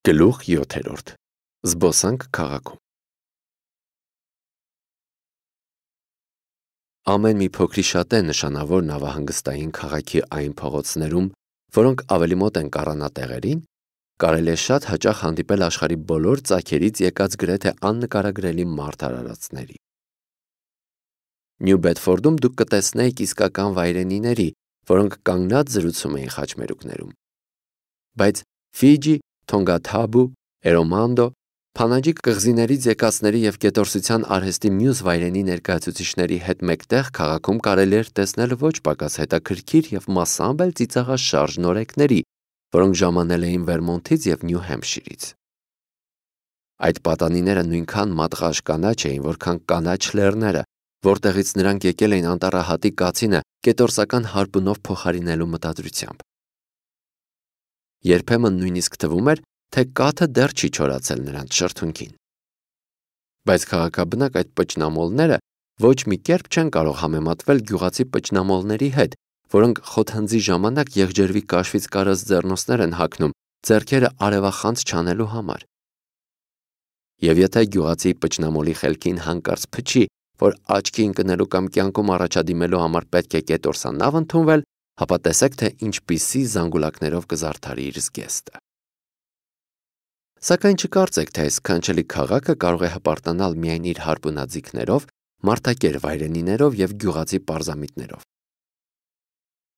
Գլուխ 7. Զբոսանք քաղաքում։ Ամեն մի փոքրիշատ է նշանավոր նավահանգստային քաղաքի այն փողոցներում, որոնք ավելի մոտ են կառանատեղերին, կարելի է շատ հաճախ հանդիպել աշխարհի բոլոր ծագերից եկած գրեթե աննկարագրելի մարդարարածների։ Նյու Բեդֆորդում դուք կտեսնեիք իսկական վայրենիների, որոնք կանգնած զրուցում էին խաչմերուկներում։ Բայց Ֆիջի, Թոնգաթաբու, Էրոմանդո, Փանաջի կղզիներից եկածների և կետորսության արհեստի մյուս վայրենի ներկայացուցիչների հետ մեկտեղ քաղաքում կարելի էր տեսնել ոչ պակաս հետաքրքիր և մասամբ էլ ծիծաղաշարժ նորեկների, որոնք ժամանել էին Վերմոնթից և Նյու Հեմփշիրից։ Այդ պատանիները նույնքան մատղաշ կանաչ էին, որքան կանաչ լեռները, որտեղից նրանք եկել էին անտառահատի կացինը կետորսական հարպունով փոխարինելու մտադրությամբ։ Երբեմն նույնիսկ թվում էր, թե կաթը դեռ չի չորացել նրանց շրթունքին։ Բայց քաղաքաբնակ այդ պճնամոլները ոչ մի կերպ չեն կարող համեմատվել գյուղացի պճնամոլների հետ, որոնք խոթհնձի ժամանակ եղջերվի կաշվից կարած ձեռնոցներ են հագնում ձեռքերը արևախանձ չանելու համար։ Եվ եթե գյուղացի պճնամոլի խելքին հանկարծ փչի, որ աչքի ընկնելու կամ կյանքում առաջադիմելու համար պետք է կետորսանավ ընդունվել, ապա տեսեք, թե ինչպիսի զանգուլակներով կզարդարի իր զգեստը։ Սակայն չկարծեք, թե այս սքանչելի քաղաքը կարող է հպարտանալ միայն իր հարպունաձիգներով, մարդակեր վայրենիներով և գյուղացի պարզամիտներով։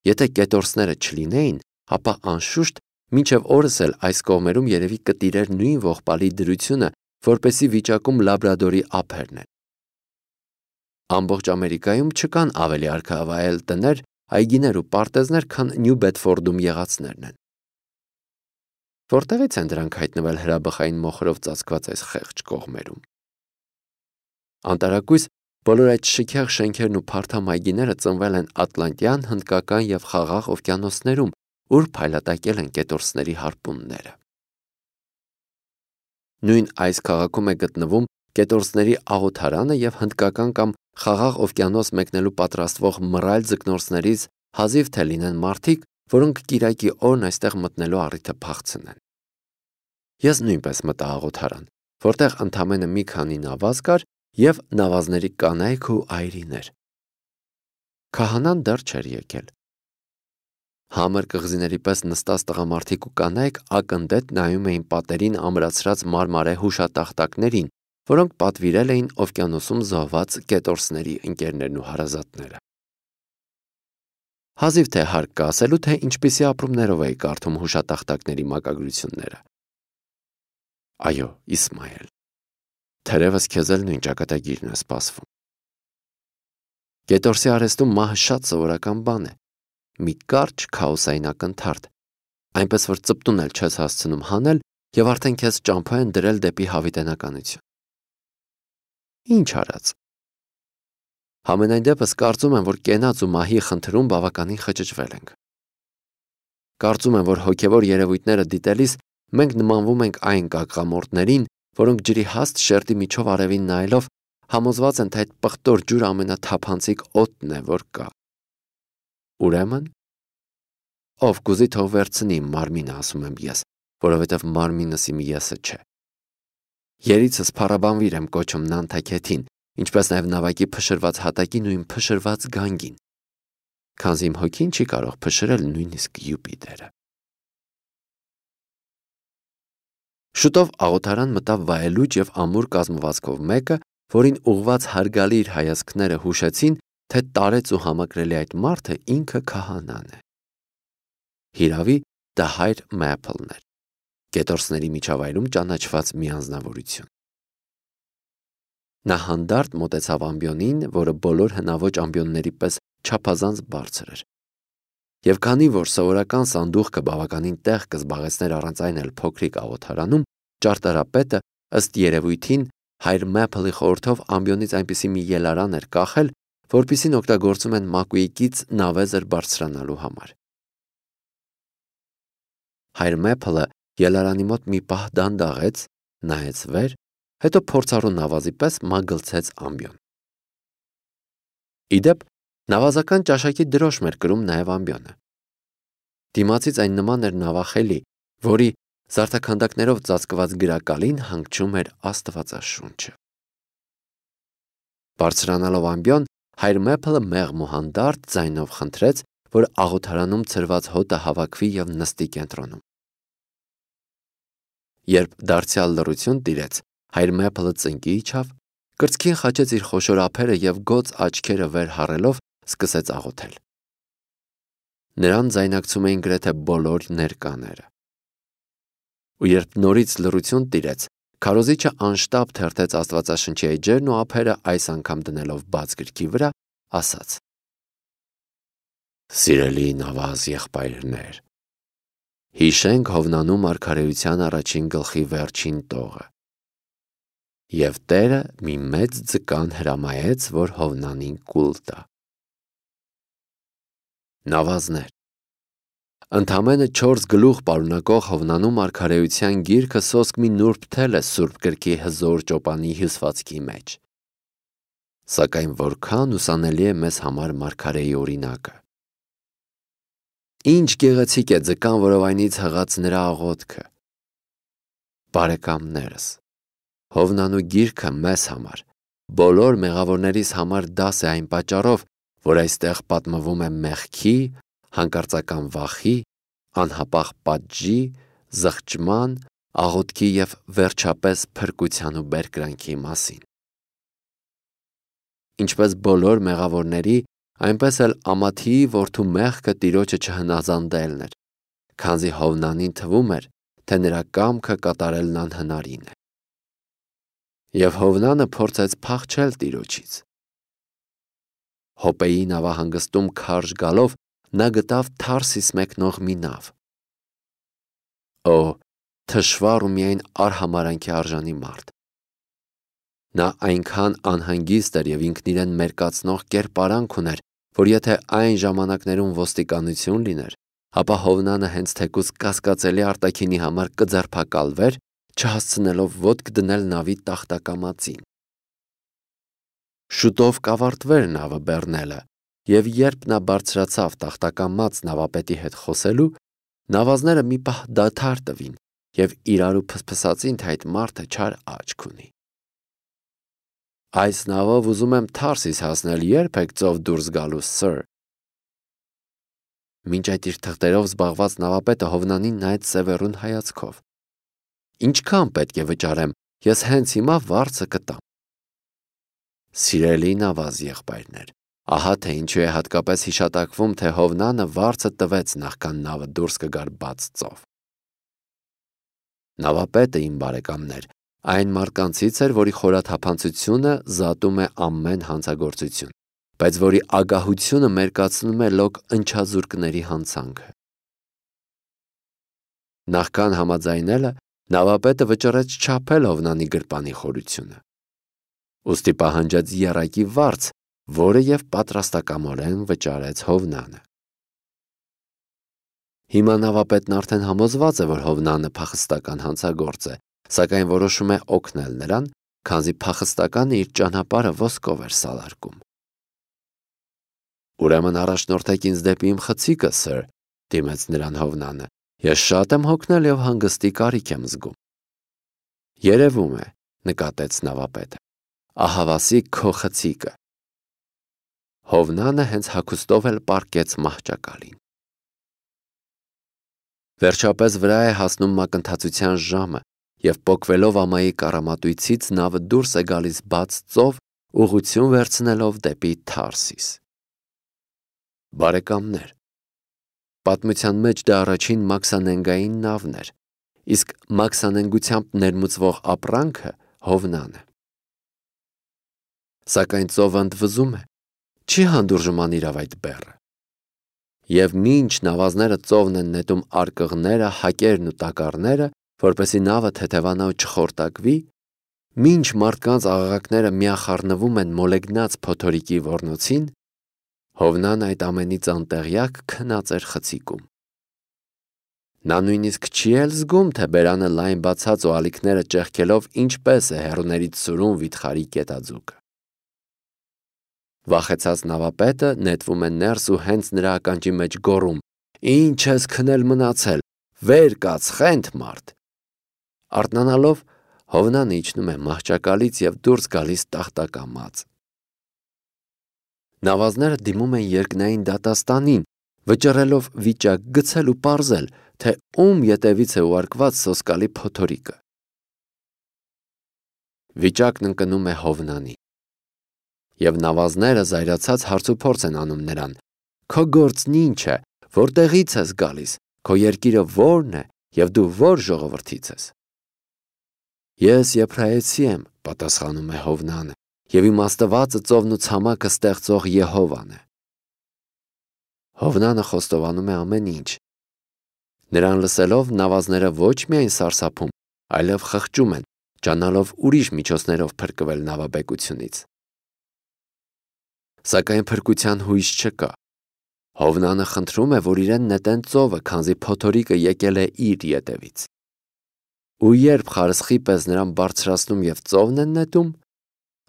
Եթե կետորսները չլինեին, ապա անշուշտ մինչև օրս էլ այս կողմերում երևի կտիրեր նույն ողբալի դրությունը, որպեսզի վիճակում լաբրադորի ափերն են։ Ամբողջ Ամերիկայում չկան ավելի արքայավայել տներ, այգիներ ու պարտեզներ, քան Նյու Բեդֆորդում եղածներն են։ Որտեղից են դրանք հայտնվել հրաբխային մոխրով ծածկված այս խեղճ կողմերում։ Անտարակույս բոլոր այդ շքեղ շենքերն ու փարթամ այգիները ծնվել են Ատլանտյան, Հնդկական և Խաղաղ օվկիանոսներում, ուր փայլատակել են կետորսների հարպունները։ Նույն այս քաղաքում է գտնվում կետորսների աղոթարանը և Հնդկական կամ Խաղաղ օվկիանոս մեկնելու պատրաստվող մռայլ ձկնորսներից հազիվ թե լինեն մարդիկ, որոնք կիրակի օրն այստեղ մտնելու առիթը փախցնեն։ Ես նույնպես մտա աղոթարան, որտեղ ընդամենը մի քանի նավազ կար և նավազների կանայք ու այրիներ։ Քահանան դեռ չէր եկել։ Համր կղզիների պես նստած տղամարդիկ ու կանայք ակնդետ նայում էին պատերին ամրացրած մարմարե հուշատախտակներին, որոնք պատվիրել էին օվկիանոսում զոհված կետորսների ընկերներն ու հարազատները։ Հազիվ թե հարկ կա ասելու, թե ինչպիսի ապրումներով էի կարդում հուշատախտակների մակագրությունները։ Այո, Իսմայել, թերևս քեզ էլ նույն ճակատագիրն է սպասվում։ Կետորսի արհեստում մահը շատ սովորական բան է, մի կարճ քաոսային ակնթարթ, այնպես որ ծպտուն էլ չես հասցնում հանել և արդեն քեզ ճամփա են դրել դեպի հավիտենականություն։ Ինչ արած։ Համենայն դեպս կարծում եմ, որ կենաց ու մահի խնդրում բավականին խճճվել ենք։ Կարծում եմ, որ հոգևոր երևույթները դիտելիս մենք նմանվում ենք այն կակղամորտներին, որոնք ջրի հաստ շերտի միջով արևին նայելով համոզված են, թե այդ պղտոր ջուրը ամենաթափանցիկ օդն է, որ կա։ Ուրեմն, ով կուզի թող վերցնի իմ մարմինը, ասում եմ ես, որովհետև մարմինս իմ եսը չէ։ Երիցս փառաբանվիր եմ կոչում Նանթաքեթին, ինչպես նաև նավակի փշրված հատակին ու իմ փշրված գանգին, քանզի իմ հոգին չի կարող փշրել նույնիսկ Յուպիտերը։ Շուտով աղոթարան մտավ վայելուչ և ամուր կազմվածքով մեկը, որին ուղված հարգալի իր հայացքները հուշեցին, թե տարեց ու համակրելի այդ մարդը ինքը քահանան է։ Հիրավի, դա հայր Մեփլն էր, կետորսների միջավայրում ճանաչված մի անձնավորություն։ Նա հանդարտ մոտեցավ ամբիոնին, որը բոլոր հնաոճ ամբիոնների պես չափազանց բարձր էր։ Եվ քանի որ սովորական սանդուղքը բավականին տեղ կզբաղեցներ առանց այն էլ փոքրիկ աղոթարանում, ճարտարապետը ըստ երևույթին հայր Մեփլի խորհրդով ամբիոնից այնպիսի մի ելարան էր կախել, որպիսին օգտագործում են մակույկից նավեզր բարձրանալու համար։ Հայր Մեփլը ելարանի մոտ մի պահ դանդաղեց, նայեց վեր, հետո փորձառու նավազի պես մագլցեց ամբիոն։ Իդեպ, նավազական ճաշակի դրոշմ էր կրում նաև ամբիոնը։ Դիմացից այն նման էր նավախելի, որի Զարդաքանդակներով ծածկված գրակալին հանգչում էր Աստվածաշունչը։ Բարձրանալով ամբիոն, հայր Մեփլը մեղմ ու հանդարտ ձայնով խնդրեց, որ աղոթարանում ցրված հոտը հավաքվի և նստի կենտրոնում։ Երբ դարձյալ լռություն տիրեց, հայր Մեփլը ծնկի իջավ, կրծքին խաչեց իր խոշոր ափերը և գոծ աչքերը վեր հառելով սկսեց աղոթել։ Նրան ձայնակցում էին գրեթե բոլոր ներկաները։ Ու երբ նորից լռություն տիրեց, քարոզիչը անշտապ թերթեց Աստվածաշնչի էջերն ու ափերը այս անգամ դնելով բաց գրքի վրա, ասաց. «Սիրելի նավազ եղբայրներ, հիշենք Հովնանու մարգարեության առաջին գլխի վերջին տողը։ Եվ Տերը մի մեծ ձկան հրամայեց, որ Հովնանին կուլ տա։ Նավազներ, ընդամենը 4 գլուխ պարունակող Հովնանու մարգարեության գիրքը սոսկ մի նուրբ թել է Սուրբ գրքի հզոր ճոպանի հյուսվածքի մեջ։ Սակայն որքան ուսանելի է մեզ համար մարգարեի օրինակը։ Ինչ գեղեցիկ է ձկան որովայնից հղած նրա աղոթքը։ Բարեկամներս, Հովնանու գիրքը մեզ համար, բոլոր մեղավորներիս համար դաս է այն պատճառով, որ այստեղ պատմվում է մեղքի, հանկարծական վախի, անհապաղ պատժի, զղջման, աղոթքի և վերջապես փրկության ու բերկրանքի մասին։ Ինչպես բոլոր մեղավորների, այնպես էլ Ամաթիի որդու մեղքը Տիրոջը չհնազանդելն էր, քանզի Հովնանին թվում էր, թե նրա կամքը կատարելն անհնարին է։ Եվ Հովնանը փորձեց փախչել Տիրոջից։ Հոպեի նավահանգստում քարշ գալով նա գտավ Թարսիս մեկնող մի նավ։ Օ, թշվառ ու միայն արհամարանքի արժանի մարդ։ Նա այնքան անհանգիստ էր և ինքն իրեն մերկացնող կերպարանք ուներ, որ եթե այն ժամանակներում ոստիկանություն լիներ, ապա Հովնանը հենց թեկուզ կասկածելի արտաքինի համար կձերբակալվեր, չհասցնելով ոտք դնել նավի տախտակամածին։ Շուտով կավարտվեր նավը բեռնելը, և երբ նա բարձրացավ տախտակամած նավապետի հետ խոսելու, նավազները մի պահ դադար տվին և իրարու փսփսացին, թե այդ մարդը չար աչք ունի։ Այս նավով ուզում եմ Թարսիս հասնել, երբ եք ծով դուրս գալու, սըր։ Մինչ այդ իր թղթերով զբաղված նավապետը Հովնանին նայեց սևեռուն հայացքով։ Ինչքան պետք է վճարեմ, ես հենց հիմա վարձը կտամ։ Սիրելի նավազ եղբայրներ, ահա թե ինչու է հատկապես հիշատակվում, թե Հովնանը վարձը տվեց նախքան նավը դուրս կգար բաց ծով։ Նավապետը, իմ բարեկամներ, այն մարդկանցից էր, որի խորաթափանցությունը զատում է ամեն հանցագործություն, բայց որի ագահությունը մերկացնում է լոկ ընչազուրկների հանցանքը։ Նախքան համաձայնելը, նավապետը վճռեց չափել Հովնանի գրպանի խորությունը։ Ուստի պահանջեց եռակի վարձ, որը և պատրաստակամորեն վճարեց Հովնանը։ Հիմա նավապետն արդեն համոզված է, որ Հովնանը փախստական հանցագործ է, սակայն որոշում է օգնել նրան, քանզի փախստականը իր ճանապարհը ոսկով էր սալարկում։ Ուրեմն առաջնորդեք ինձ դեպի իմ խցիկը, սըր, դիմեց նրան Հովնանը։ Ես շատ եմ հոգնել և հանգստի կարիք եմ զգում։ Երևում է, նկատեց նավապետը, ահավասի քո խցիկը։ Հովնանը հենց հագուստով էլ պառկեց մահճակալին։ Վերջապես վրա է հասնում մակընթացության ժամը, և պոկվելով ամայի կառամատույցից նավը դուրս է գալիս բաց ծով, ուղղություն վերցնելով դեպի Թարսիս։ Բարեկամներ, պատմության մեջ դա առաջին մաքսանենգային նավն էր, իսկ մաքսանենգությամբ ներմուծվող ապրանքը Հովնանը։ Սակայն ծովը ընդվզում է, չի հանդուրժում անիրավ այդ բեռը։ Եվ մինչ նավազները ծովն են նետում արկղները, հակերն ու տակառները, որպեսզի նավը թեթևանա ու չխորտակվի, մինչ մարդկանց աղաղակները միախառնվում են մոլեգնած փոթորիկի ոռնոցին, Հովնան այդ ամենից անտեղյակ քնած էր խցիկում։ Նա նույնիսկ չի էլ զգում, թե բերանը լայն բացած ու ալիքները ճեղքելով ինչպես է հեռուներից սուրում վիթխարի կետաձուկը։ Վախեցած նավապետը նետվում է ներս ու հենց նրա ականջի մեջ գոռում. «Ինչ ես քնել մնացել, վեր կաց, խենթ մարդ, Արթնանալով Հովնանը իջնում է մահճակալից և դուրս գալիս տախտակամած։ Նավազները դիմում են երկնային դատաստանին, վճռելով վիճակ գցել ու պարզել, թե ում ետևից է ուղարկված սոսկալի փոթորիկը։ Վիճակն ընկնում է Հովնանի, և նավազները զայրացած հարցուփորձ են անում նրան. «Քո գործն ինչ է, որտեղից ես գալիս, քո երկիրը ո՞րն է և դու ո՞ր ժողովրդից ես»։ «Ես եբրայեցի եմ», պատասխանում է Հովնանը, «և իմ Աստվածը ծովն ու ցամաքը ստեղծող Եհովան է»։ Հովնանը խոստովանում է ամեն ինչ։ Նրան լսելով նավազները ոչ միայն սարսափում, այլև խղճում են, ջանալով ուրիշ միջոցներով փրկվել նավաբեկությունից։ Սակայն փրկության հույս չկա։ Հովնանը խնդրում է, որ իրեն նետեն ծովը, քանզի փոթորիկը եկել է իր ետևից։ Ու երբ խարսխի պես նրան բարձրացնում և ծովն են նետում,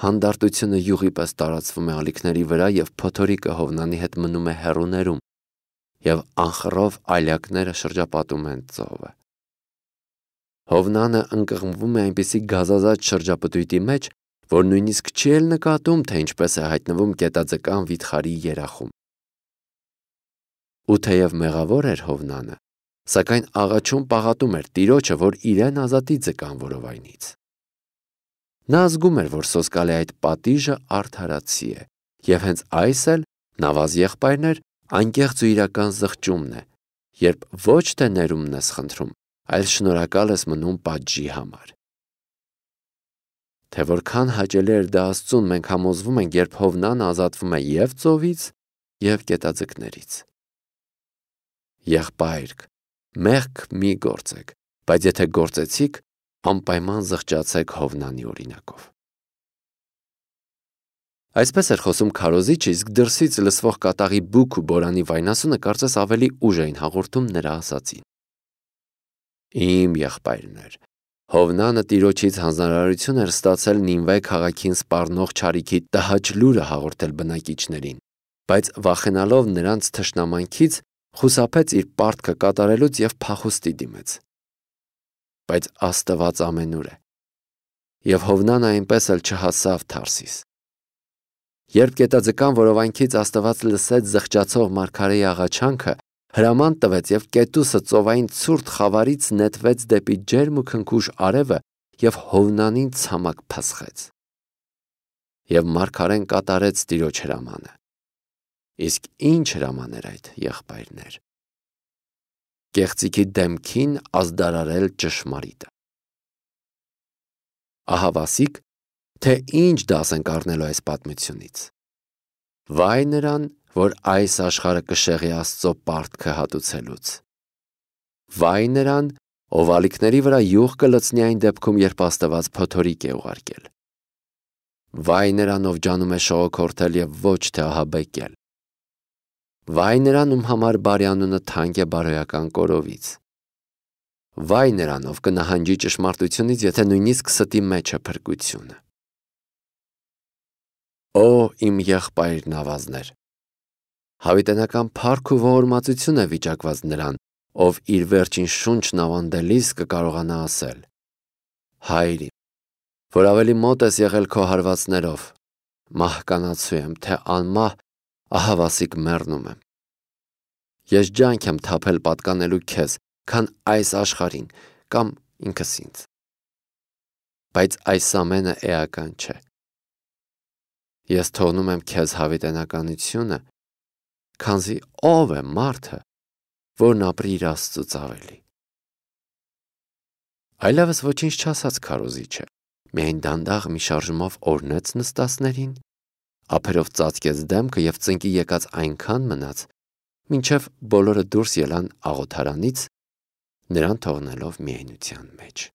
հանդարտությունը յուղի պես տարածվում է ալիքների վրա և փոթորիկը Հովնանի հետ մնում է հեռուներում, և անխռով այլյակները շրջապատում են ծովը։ Հովնանը ընկղմվում է այնպիսի գազազած շրջապտույտի մեջ, որ նույնիսկ չի էլ նկատում, թե ինչպես է հայտնվում գետաձկան վիթխարի երախում։ Ու թեև մեղավոր էր Հովնանը, սակայն աղաչում պաղատում էր Տիրոջը, որ իրեն ազատի ձկան որովայնից։ Նա զգում էր, որ սոսկալի այդ պատիժը արդարացի է, և հենց այս էլ, նավազ եղբայրներ, անկեղծ ու իրական զղջումն է, երբ ոչ թե ներումն ես խնդրում, այլ շնորհակալ ես մնում պատժի համար։ Թե որքան հաճելի էր դա Աստծուն, մենք համոզվում ենք, երբ Հովնանը ազատվում է և ծովից, և գետաձկներից։ Եղբայրք, մեղք մի գործեք, բայց եթե գործեցիք, անպայման զղջացեք Հովնանի օրինակով։ Այսպես էր խոսում քարոզիչը, իսկ դրսից լսվող կատաղի բուք ու բորանի վայնասունը կարծես ավելի ուժ էին հաղորդում նրա ասածին։ Իմ եղբայրներ, Հովնանը Տիրոջից հանձնարարություն էր ստացել Նինվե քաղաքին սպառնող չարիքի տհաճ լուրը հաղորդել բնակիչներին, բայց վախենալով նրանց թշնամանքից, խուսափեց իր պարտքը կատարելուց և փախուստի դիմեց։ Բայց Աստված ամենուր է, և Հովնանը այնպես էլ չհասավ Թարսիս։ Երբ գետաձկան որովայնքից Աստված լսեց զղջացող մարգարեի աղաչանքը, հրաման տվեց, և կետուսը ծովային ցուրտ խավարից նետվեց դեպի ջերմ ու քնքուշ արևը և Հովնանին ցամաք փսխեց։ Եվ մարգարեն կատարեց Տիրոջ հրամանը։ Իսկ ինչ հրաման էր այդ, եղբայրներ։ Կեղծիքի դեմքին ազդարարել ճշմարիտը։ Ահավասիկ, թե ինչ դաս ենք առնելու այս պատմությունից։ Վայ նրան, որ այս աշխարհը կշեղի Աստծո պարտքը հատուցելուց։ Վայ նրան, ով ալիքների վրա յուղ կլցնի այն դեպքում, երբ Աստված փոթորիկ է ուղարկել։ Վայ նրան, ով ջանում է շողոքորթել և ոչ թե ահաբեկել։ Վայ նրան, ում համար բարեանունը թանկ է բարոյական կորովից։ Վայ նրան, ով կնահանջի ճշմարտությունից, եթե նույնիսկ ստի մեջ է փրկությունը։ Օ, իմ եղբայր նավազներ, հավիտենական փառք ու ողորմածություն է վիճակված նրան, ով իր վերջին շունչն ավանդելիս կկարողանա ասել. Հայր իմ, որ ավելի մոտ ես եղել քո հարվածներով, մահկանացու եմ, թե անմահ ահավասիկ մեռնում եմ։ Ես ջանք եմ թափել պատկանելու քեզ, քան այս աշխարհին կամ ինքս ինձ։ Բայց այս ամենը էական չէ։ Ես թողնում եմ քեզ հավիտենականությունը, քանզի ով է մարդը, որն ապրի իր Աստծուց ավելի։ Այլևս ոչինչ չասաց քարոզիչը, միայն դանդաղ մի շարժումով օրնեց նստածներին, ափերով ծածկեց դեմքը և ծնկի եկած այնքան մնաց, մինչև բոլորը դուրս ելան աղոթարանից, նրան թողնելով միայնության մեջ։